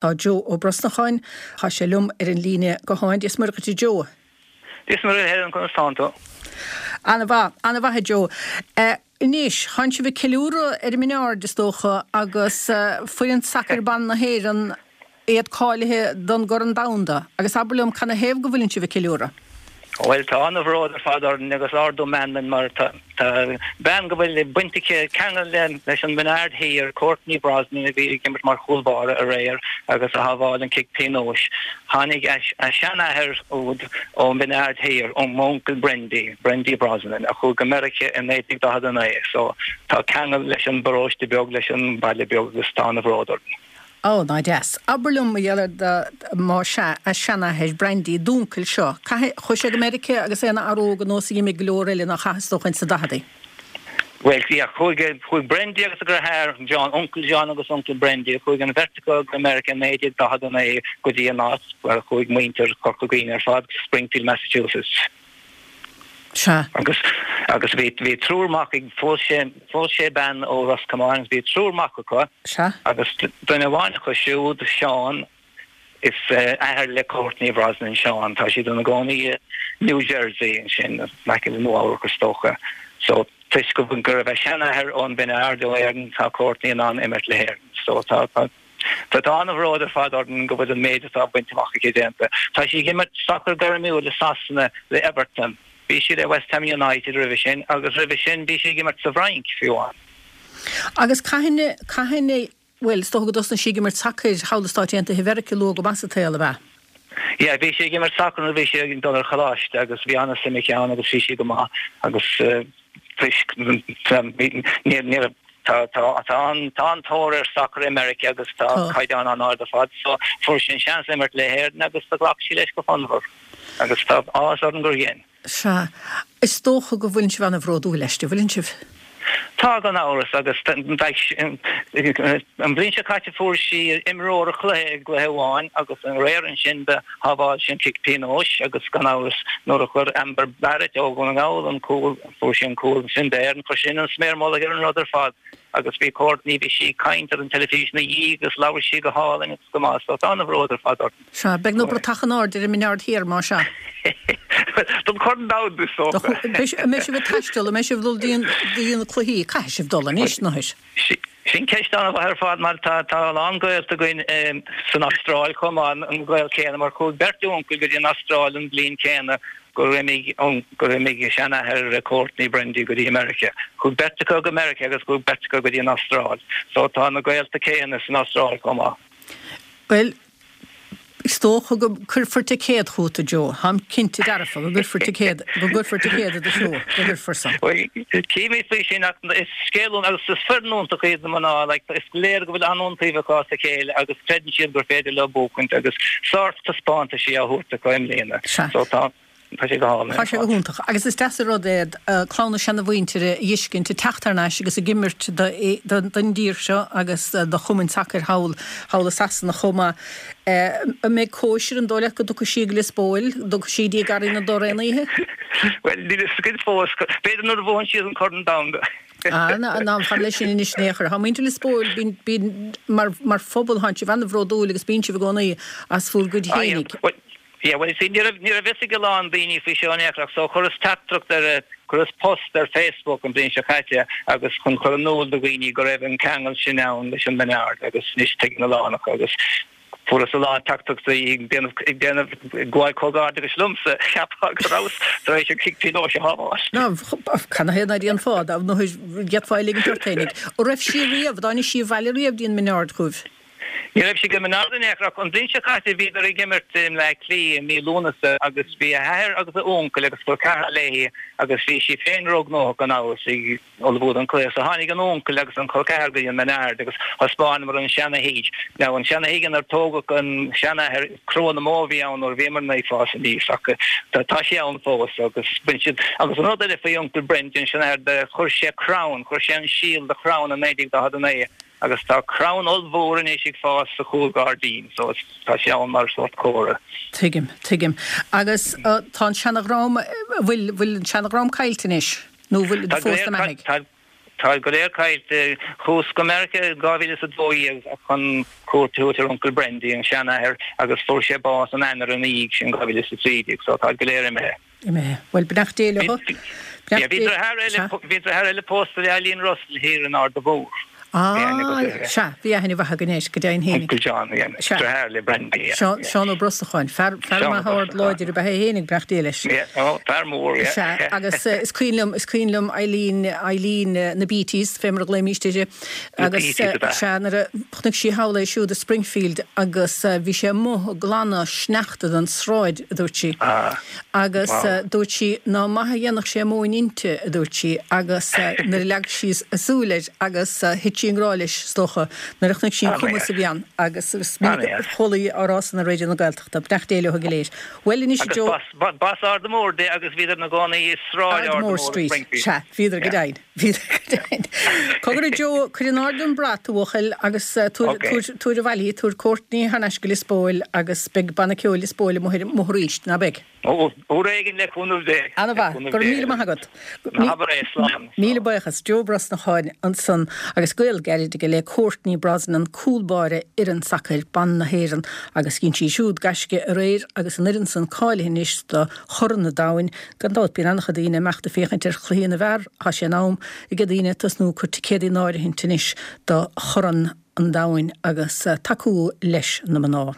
Tá Joe Ó Brosnacháin, tá sé liom ar an líne gutháin. Dia is Muire dhuit a Joe. Dia is Muire a Helen, conas tánn tú? Ana-mhaith, ana-mhaith a Joe. Anois, tánn sibh ag ceiliúradh ar an mBinn Ard is dócha agus foireann sacair ban na hÉireann, iad cáilithe don gCorn Domhanda. Agus abair liom, canathaobh go bhfuileann sibh ag ceiliúradh? Bhuel, tá an-bhród ar fad orainn agus ardú meanman mar tá bean go bhfuil baint aici, ceangal leis an mBinn Aird Thiar, Courtney Brosnan a bhí ag imirt mar chúl báire aréir agus a shábháil an cic pionóis. Tháinig a seanathair úd ón Bhinn Aird Thiar, ó m'uncail Brendy, Brendy Brosnan, a chuaigh go Meiriceá i 1949 so tá ceangal leis an bparóiste beag, leis an mbaile beag agus tá an-bhród orainn. Ó, ná deas. Abair liom, mar gheall ar má sea, a seanathair, Brandy, d'uncail seo, caithfidh, chuaigh sé go Meiriceá agus é ina fhear óg ar nós a d'imigh go leor eile nár chaith is dócha ins na daicheadaí. Bhuel, yeah, chuaigh, chuaigh Brandy agus a dheartháir, John, uncail John agus uncail Brandy, chuaigh an bheirt acu go Meiriceá i 1949 go dtí an áit mar a chuaigh muintir Chorca Dhuibhne ar fad, Springfield, Massachusetts. Sea. Agus, agus bhí, bhí triúr mac ag, phós sé, phós sé bean ó Ros Comáin agus bhí triúr mac acu. Sea. Agus duine amháin acu siúd, Seán, is athair le Courtney Brosnan, Seán, tá siad ina gcónaí i New Jersey ansin, in aice le Nua Eabhrac is dócha. So, toisc go, go raibh a seanathair ón Bhinn Aird ó Éirinn, tá Courtney in ann imirt le hÉirinn. So, tá, tá. Tá an-bhród ar fad orainn go bhfuil an méid atá bainte amach aici déanta. Tá sí ag imirt sacar gairmiúil i Sasana le Everton. Bhí sí le West Ham United roimhe sin agus roimhe sin bhí sí ag imirt sa bhFrainc, fiú amháin. Agus cathain, cathain, bhuel, is dócha go dtosnaigh sí ag imirt sacair thall i Stáit Aontaithe Mheiriceá luath go maith sa tsaol, ab ea? Yeah, bhí sí ag imirt sacair nuair a bhí sí ag dul ar choláiste agus bhí an-suim aici ann agus bhí sí go maith agus toisc ní raibh tá tá tá an tá an-tóir ar sacar i Meiriceá agus tá caighdeán an-ard ar fad so fuair sí an seans imirt le hÉirinn agus do ghlac sí leis go fonnmhar agus tá áthas orainn gur dhein. Sea. Is dócha go bhfuileann sibh an-bhródúil aisti, bhfuileann sibh? Tá, gan amhras, agus beidh. An bhliain seo caite fuair sí imreoir an chluiche i gcluiche amháin agus aréir ansin do shábháil sí an cic pionóis agus gan amhras nuair a chuir Amber Barrett ó Dhún na nGall an cúl, fuair sí an cúl ansin d'Éirinn, chuir sin an sméar mullaigh ar an rud ar fad agus bhí Courtney, bhí sí ag caint ar an teilifís ina dhiaidh agus labhair sí go hálainn agus go maith so tá an-bhród ar fad orainn. Sea, beidh na bratacha in airde ar an mBinn Ard Thiar, más ea. Don Chorn Domhanda, is dócha. An mbeidh sibh ag taisteal, an mbeidh sibh ag dul dtí na cluichí? Caithfidh sibh dul anois, Nohair. Sin ceist an-mhaith ar fad mar tá a lán gaolta againn san Astráil chomh maith, an gaol céanna, mar chuaigh beirt uncail go dtí an Astráil an bhliain chéanna gur imigh gur imigh seanathair Courtney, Brendy, go dtí Meiriceá. Chuaigh beirt acu go Meiriceá agus chuaigh beirt acu go dtí an Astráil. So tá na gaolta céanna san Astráil chomh maith. Bhuel, is dócha go gcuirfear ticéad chugat, a Joe. Táim cinnte dearfa go gcuirfear ticéad, go gcuirfear ticéad i do threo, go gcuirfear san. Bhuel, cífimid faoi sin ach is scéal iontach agus is foireann iontach iad na mná, like, is léir go bhfuil an-iontaoibh acu as a chéile agus creideann siad gur féidir leo buachaint agus sórt taispeántaisí á thabhairt acu i mbliana. Sea. So tá. Tá sé go hálainn. Tá sé go hiontach. Agus is deas an rud é clann na seanamhuintire a fheiscint ag teacht thar n-ais agus ag imirt don dtír seo agus do chumainn sacair thall thall i Sasana chomh maith. An mbeidh cóisir, an dóigh leat go dtiocfaidh sí go Lios Póil, an dtiocfaidh sí dtí Garraí na dTor aon oíche? Bhuel, níl a fhios againn fós. B'fhéidir nuair a bhuann siad an Corn Domhanda. Ah, ná fan leis sin anois in aon chor. Tá muintir Lios Póil, bíonn, bíonn, mar, mar phobal, tánn sibh an-bhródúil agus bíonn sibh i gcónaí as bhur gcuid fhéinig. Yeah, well, you see, ní raibh, ní raibh fhios ag a lán daoine faoi seo in aon chor ach so chuireas teachtaireacht ar, chuireas post ar Facebook an bhliain seo caite agus chun chur in iúl do dhaoine go raibh an ceangal sin ann leis an mBinn Ard agus anois tuigeann a lán acu agus fuaireas a lán teachtaireachtaí ag déanamh, ag déanamh, ag gabháil comhghairdeachais liomsa, cheapfá go rabhas tar éis an cic pionóis a shábháil. Ná, canathaobh ná déanfá, dá d'fhéadfá é a ligint ort fhéinig. An raibh sí riamh, an dtáinig sí abhaile riamh dtí an mBinn Ard chugaibh? Ní raibh sí go mBinn Ard in aon chor ach an bhliain seo caite bhíodar ag imirt i mBleá Cliath i mí Lúnasa agus bhí a hathair agus a uncail agus col ceathrar léi agus bhí sí féin róghnóthach gan amhras ag ullmhú don chluiche so tháinig an uncail agus an col ceathar go dtí an mBinn Ard agus thaispeánamar an seana-thigh. Now an seana-thigh inar tógadh an seanathair cró na mbó a bhí ann nuair a bhíomarna ag fás aníos ach tá sé ann fós agus bain siad agus an rud eile faoi uncail Brendan an seanathair de chuir sé crann chuir sé an síol de chrann i 1949 Agus tá crann ollmhór anois ag fás sa chúlghairdín so tá sé ann mar sórt comhartha. Tuigim, tuigim. Agus tá an seana-dhream, bhfuil, bhfuil an seana-dhream caillte anois? Nó bhfuil Tá fós na mbeathaigh? Tá. Táid go léir caillte. Chuas go Meiriceá i 2012 chun cuairt a thabhairt ar Uncail Brendy, an seanathair, agus fuair sé bás an Eanáir ina dhiaidh sin, 2013, so táid go léir imithe. Imithe. Bhuel, beannacht Dé leo. Beannacht Dé. Bhí deartháir eile pósta le Eileen Russell thiar in Ard a' Mhóir. Ah, sea, bhí aithne mhaith againn air, go deimhin fhéinig. Uncle John, yeah. Sea. Deartháir le Brendy, yeah. Seán, Seán Ó Brosnacháin, fear, fear maith ard láidir ab ea é fhéinig, beannacht Dé leis. Yeah, oh, fear mór, yeah. Sea, agus is cuimhin liom, is cuimhin liom Eileen, Eileen na Beatties, fé mar a ghlaoimíst uirthi. Na Beatties ab ea. Sea, nuair a chonaic sí thall é siúd i Springfield agus bhí sé amuigh ag glanadh sneachta den sráid, a dúirt sí. Ah. Agus dúirt sí ná maith a dhéanfadh sé móin inti, a dúirt sí, agus nuair a leag sí a súil air agus thit sí i ngrá leis, is dócha, nuair a chonaic sí an cumas a bhí ann. Agus is minic a chuala í á rá san ar Raidió na Gaeltachta. Beannacht Dé leo go léir. Bhuel anois a Joe. Agus b'as Ard a' Mhóir di agus bhíodar ina gcónaí i Sráid Ard a' Mhóir i Springfield. Sea, bhíodar go deimhin. Bhíodar go deimhin. Cogar a Joe, cuir in airde an brat, a bhuachaill, agus tabhair, tabhair abhaile í, tabhair Courtney thar n-ais go Lios Póil agus beidh Banna Ceoil Lios Póil amuigh amuigh arís, ná beidh? Ó, uair éigin le cúnamh Dé. Ana-mhaith. Go raibh míle maith agat. Ná habair é, slán. Míle buíochas. Joe Brosnacháin ansan agus gaol gairid aige le Courtney Brosnan, cúl báire fhoireann sacair ban na hÉireann agus dhein sí siúd gaisce aréir agus an fhoireann san cáilithe anois do Chorn an Domhain. Gan dabht, bíonn an-chuid daoine ag imeacht ag féachaint ar chluichí na bhfear, tá sé in am ag daoine tosnú ag cur ticéadaí in áirithint anois do Chorn an Domhain agus tacú leis na mná.